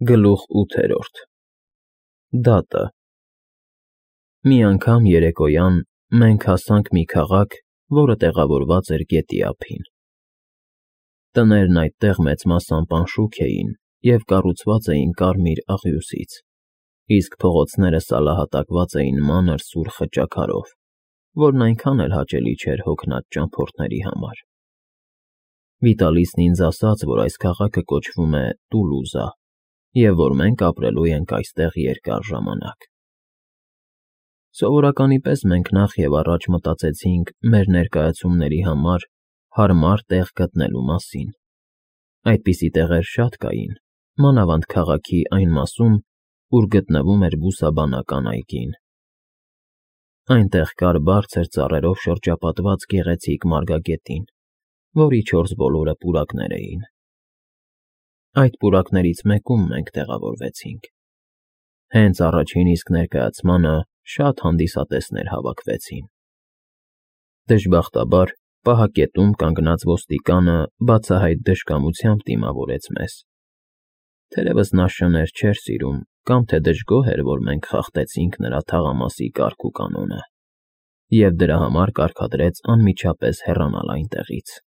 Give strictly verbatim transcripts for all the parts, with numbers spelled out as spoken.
Գլուխ ութերորդ Դատը Մի անգամ երեկոյան մենք հասանք մի քաղաք, որը տեղավորված էր գետի ափին. տներն այդտեղ մեծ մասամբ անշուք էին և կառուցված էին կարմիր աղյուսից, իսկ փողոցները սալահատակված էին մանր սուր խճաքարով, որն այնքան էլ հաճելի չէր հոգնած ճամփորդների համար։ Վիտալիսն ինձ ասաց, որ այս քաղաքը կոչվում է Տուլուզա և որ մենք ապրելու ենք այստեղ երկար ժամանակ։ Սովորականի պես մենք նախ և առաջ մտածեցինք մեր ներկայացումների համար հարմար տեղ գտնելու մասին. այդպիսի տեղեր շատ կային, մանավանդ քաղաքի այն մասում, ուր գտնվում էր բուսաբանական այգին։ Այնտեղ կար բարձր ծառերով շրջապատված գեղեցիկ մարգագետին, որի չորս բոլորը պուրակներ էին։ Այդ պուրակներից մեկում մենք տեղավորվեցինք։ Հենց առաջին իսկ ներկայացմանը շատ հանդիսատեսներ հավաքվեցին։ Դժբախտաբար, պահակետում կանգնած ոստիկանը բացահայտ դժկամությամբ դիմավորեց մեզ։ Թերևս նա շներ չէր սիրում կամ թե դժգոհ էր, որ մենք խախտեցինք նրա թաղամասի կարգ ու կանոնը, և դրա համար կարգադրեց անմիջապես հեռանալ այնտեղից։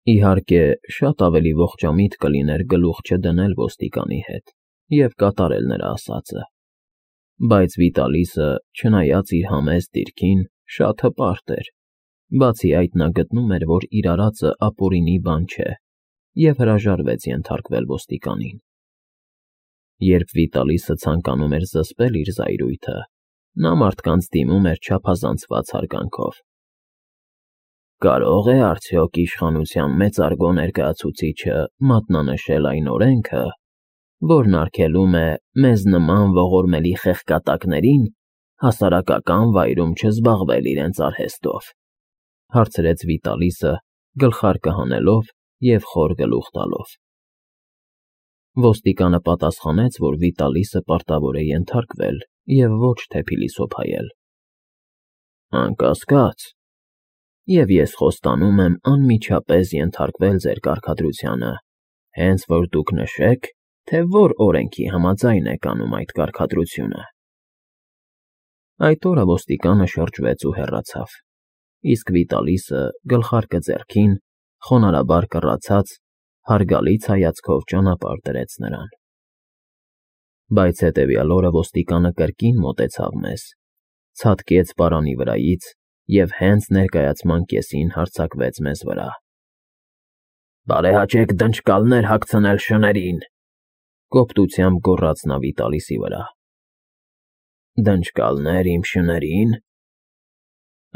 Իհարկե, շատ ավելի ողջամիտ կլիներ գլուխ չդնել ոստիկանի հետ և կատարել նրա ասածը, բայց Վիտալիսը, չնայած իր համեստ դիրքին, շատ հպարտ էր, բացի այդ նա գտնում էր, որ իր արածը ապօրինի բան չէ, և հրաժարվեց ենթարկվել ոստիկանին։ Երբ Վիտալիսը ցանկանում էր զսպել իր զայրույթը, նա մարդկանց դիմում էր չափազանցված հարգանքով։ «Կարո՞ղ է արդյոք իշխանության մեծարգո ներկայացուցիչը մատնանշել այն օրենքը, որն արգելում է մեզ նման ողորմելի խեղկատակներին հասարակական վայրում չզբաղվել իրենց արհեստով», հարցրեց Վիտալիսը, գլխարկը հանելով և խոր գլուխ տալով։ Ոստիկանը պատասխանեց, որ Վիտալիսը պարտավոր է ենթարկվել և ոչ թե փիլիսոփայել։ «Անկասկած, և ես խոստանում եմ անմիջապես ենթարկվել ձեր կարգադրությանը, հենց որ դուք նշեք, թե որ օրենքի համաձայն եք անում այդ կարգադրությունը»։ Այդ օրը ոստիկանը շրջվեց ու հեռացավ, իսկ Վիտալիսը, գլխարկը ձեռքին, խոնարհաբար կռացած, հարգալից հայացքով ճանապարհ դրեց նրան։ Բայց հետևյալ օրը ոստիկանը կրկին մոտեցավ մեզ, ցատկեց պարանի վրայից և հենց ներկայացման կեսին հարձակվեց մեզ վրա։ «Բարեհաճեք դնճկալներ հագցնել շներին», կոպտությամբ գոռաց նա Վիտալիսի վրա։ «Դնճկալներ իմ շների՞ն։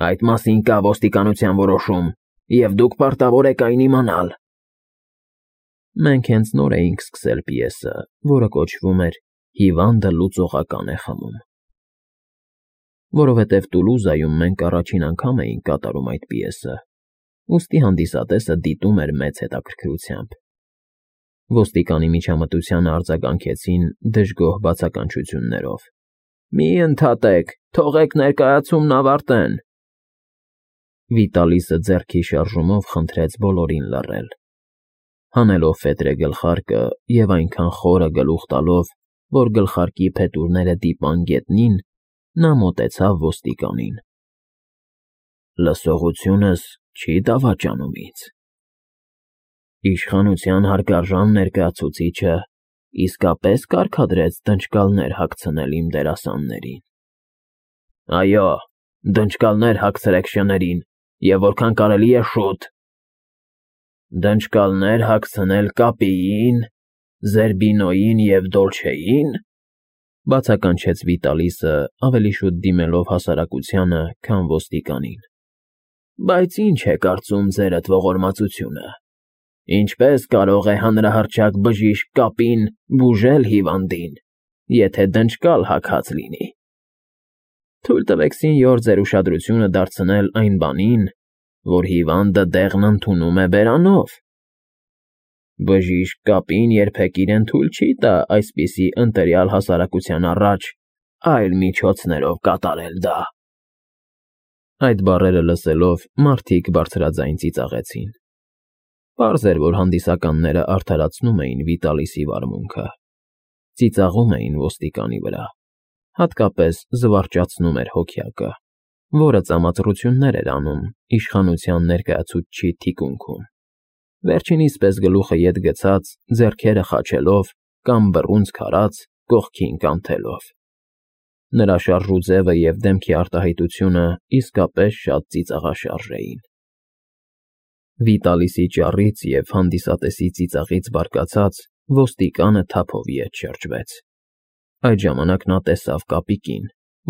Այդ մասին կա ոստիկանության որոշում, և դուք պարտավոր եք այն իմանալ»։ Մենք հենց նոր էինք սկսել պիեսը, որը կոչվում էր «Հիվանդը լուծողական է խմում»։ Որովհետև Տուլուզայում մենք առաջին անգամ էինք կատարում այդ պիեսը, ուստի հանդիսատեսը դիտում էր մեծ հետաքրքրությամբ։ Ոստիկանի միջամտությանը արձագանքեցին դժգոհ բացականչություններով. «Մի ընդհատեք, թողեք ներկայացումն ավարտեն»։ Վիտալիսը ձեռքի շարժումով խնդրեց բոլորին լռել։ Հանելով ֆետրե գլխարկը և այնքան խորը գլուխ տալով, որ գլխարկի փետուրները դիպան գետնին, նա մոտեցավ ոստիկանին։ «Լսողությունս չի դավաճանում ինձ։ Իշխանության հարգարժան ներկայացուցիչը իսկապես կարգադրեց դնճկալներ հագցնել իմ դերասաններին։ Այո, դնճկալներ հագցրեք շներին և որքան կարելի է շուտ։ Դնճկալներ հագցնել Կապիին, Զերբինոյին և Դոլչեի՞ն», բացականչեց Վիտալիսը, ավելի շուտ դիմելով հասարակությանը, քան ոստիկանին։ «Բայց ի՞նչ է կարծում ձերդ ողորմածությունը, ինչպե՞ս կարող է հանրահռչակ բժիշկ Կապին բուժել հիվանդին, եթե դնճկալ հագած լինի։ Թույլ տվեք, սենյոր, ձեր ուշադրությունը դարձնել այն բանին, որ հիվանդը դեղն ընդունում է բերանով։ Բժիշկ Կապին երբեք իրեն թույլ չի տա այսպիսի ընտելյալ հասարակության առաջ այլ միջոցներով կատարել դա»։ Այդ բառերը լսելով, մարդիկ բարձրաձայն ծիծաղեցին։ Պարզ էր, որ հանդիսականները արդարացնում էին Վիտալիսի վարմունքը, ծիծաղում էին ոստիկանի վրա, հատկապես զվարճացնում էր հոգյակը, որը ծամածռություններ էր անում իշխանության ներկայացուցչի թիկունքում, վերջինիս պես գլուխը ետ գցած, ձեռքերը խաչելով կամ բռունցք արած, կողքին կանթելով։ Նրա շարժուձևը և դեմքի արտահայտությունը իսկապես շատ ծիծաղաշարժ էին։ Վիտալիսի ճառից և հանդիսատեսի ծիծաղից բարկացած ոստիկանը թափով ետ շրջվեց։ Այդ ժամանակ նա տեսավ կապիկին,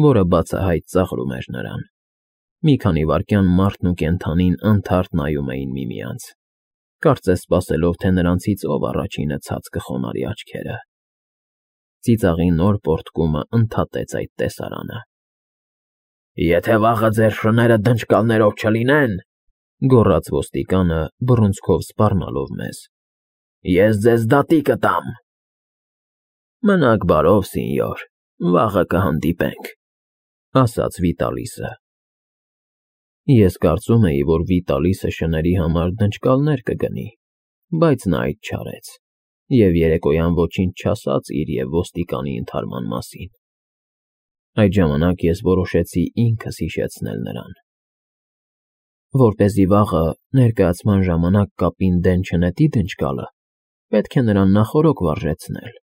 որը բացահայտ ծաղրում էր նրան։ Մի քանի վայրկյան մարդն ու կենդանին անթարթ նայում էին միմյանց, կարծես սպասելով, թե նրանցից ով առաջինը ցած կխոնարհի աչքերը։ Ծիծաղի նոր պոռթկումը ընդհատեց այդ տեսարանը։ «Եթե վաղը ձեր շները դնճկալներով չլինեն,֊ գոռաց ոստիկանը, բռունցքով սպառնալով մեզ,֊ ես ձեզ դատի կտամ»։ «Մնաք բարով, սինյոր, վաղը կհանդիպենք», ասաց Վիտալիսը։ Ես կարծում էի, որ Վիտալիսը շների համար դնճկալներ կգնի, բայց նա այդ չարեց և երեկոյան ոչինչ չասաց իր և ոստիկանի ընդհարման մասին։ Այդ ժամանակ ես որոշեցի ինքս հիշեցնել նրան։ Որպեսզի վաղը, ներկայացման ժամանակ կապին դեն չնետի դնճկալը, պետք է նրան նախօրոք վարժեցնել։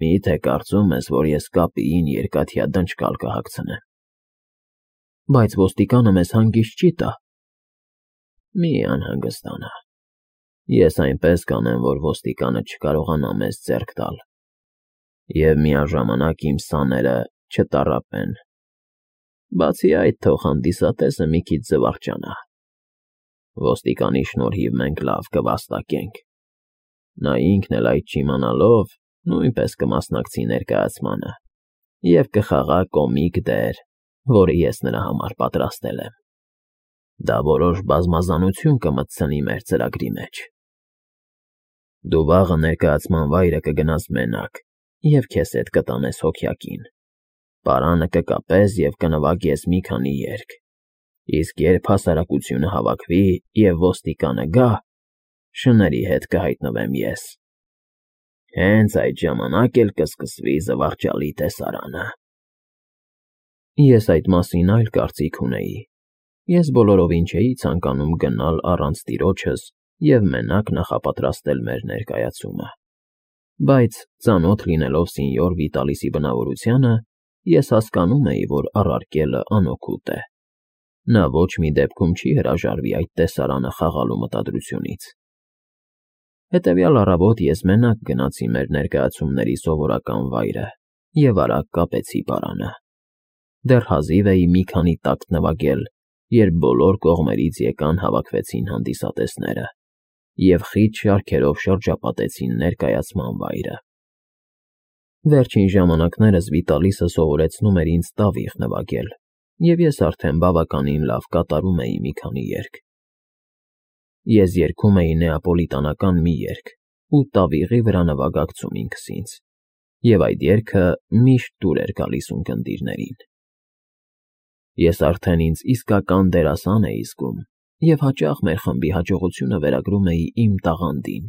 Մի՞թե կարծում ես, որ ես կապիին երկաթյա դնճկալ կհագցնեմ։ Բայց ոստիկանը մեզ հանգիստ չի տա։ Մի անհանգստանա։ Ես այնպես կանեմ, որ ոստիկանը չկարողանա մեզ ձեռք տալ և միաժամանակ իմ սաները չտառապեն։ Բացի այդ, թող հանդիսատեսը մի քիչ զվարճանա։ Ոստիկանի շնորհիվ մենք լավ կվաստակենք։ Նա ինքն էլ այդ չիմանալով նույնպես կմասնակցի ներկայացմանը և կխաղա կոմիկ դեր, որը ես նրա համար պատրաստել եմ։ Դա որոշ բազմազանություն կմտցնի մեր ծրագրի մեջ։ Դու վաղը ներկայացման վայրը կգնաս մենակ և քեզ հետ կտանես հոգյակին։ Պարանը կկապես և կնվագես մի քանի երգ, իսկ երբ հասարակությունը հավաքվի և ոստիկանը գա, շների հետ կհայտնվեմ ես։ Հենց այդ ժամանակ էլ կսկսվի զվարճալի տեսարանը։ Ես այդ մասին այլ կարծիք ունեի։ Ես բոլորովին չէի ցանկանում գնալ առանց տիրոջս և մենակ նախապատրաստել մեր ներկայացումը։ Բայց ծանոթ լինելով սինյոր Վիտալիսի բնավորությանը, ես հասկանում էի, որ առարկելը անօգուտ է։ Նա ոչ մի դեպքում չի հրաժարվի այդ տեսարանը խաղալու մտադրությունից։ Հետևյալ առավոտ ես մենակ գնացի մեր ներկայացումների սովորական վայրը և արագ կապեցի պարանը։ Դեռ հազիվ էի մի քանի տակտ նվագել, երբ բոլոր կողմերից եկան հավաքվեցին հանդիսատեսները և խիտ շարքերով շրջապատեցին ներկայացման վայրը։ Վերջին ժամանակներս Վիտալիսը սովորեցնում էր ինձ տավիղ նվագել, և ես արդեն բավականին լավ կատարում էի մի քանի երգ։ Ես երգում էի նեապոլիտանական մի երգ ու տավիղի վրա նվագակցում ինքս ինձ, և այդ երգը միշտ տուր էր գալիս ունկնդիրներին։ Ես արդեն ինձ իսկական դերասան էի զգում և հաճախ մեր խմբի հաջողությունը վերագրում էի իմ տաղանդին,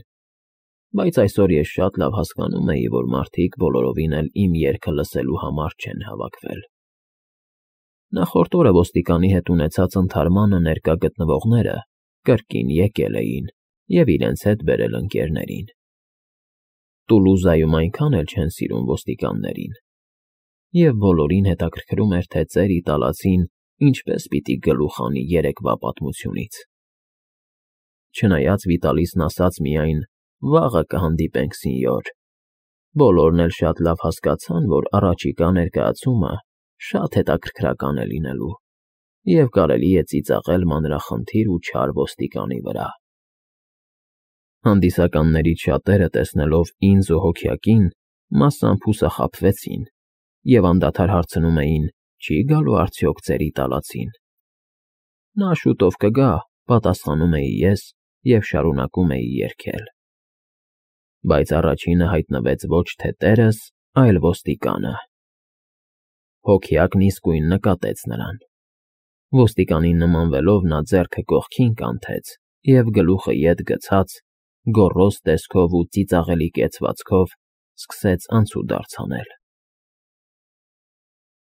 բայց այսօր ես շատ լավ հասկանում էի, որ մարդիկ բոլորովին էլ իմ երգը լսելու համար չեն հավաքվել։ Նախորդ օրը ոստիկանի հետ ունեցած ընդհարմանը ներկա գտնվողները կրկին եկել էին և իրենց հետ բերել ընկերներին։ Տուլուզայում այնքան էլ չեն սիրում ոստիկաններին, և բոլորին հետաքրքրում էր, թե ծեր իտալացին ինչպես պիտի գլուխ հանի երեկվա պատմությունից։ Չնայած Վիտալիսն ասաց միայն «Վաղը կհանդիպենք, սինյոր», բոլորն էլ շատ լավ հասկացան, որ առաջիկա ներկայացումը շատ հետաքրքրական է լինելու և կարելի է ծիծաղել մանրախնդիր ու չար ոստիկանի վրա։ Հանդիսականներից շատերը, տեսնելով ինձ ու հոգյակին, մասամբ հուսախաբվեցին և անդադար հարցնում էին. «Չի՞ գալու արդյոք ծեր իտալացին»։ Նա շուտով կգա, պատասխանում էի ես և շարունակում էի երգել։ Բայց առաջինը հայտնվեց ոչ թե տերս, այլ ոստիկանը։ Հոգյակն իսկույն նկատեց նրան։ Ոստիկանին նմանվելով նա ձեռքը կողքին կանթեց և, գլուխը ետ գցած, գոռոզ տեսքով ու ծիծաղելի կեցվածքով սկսեց անցուդարձ անել։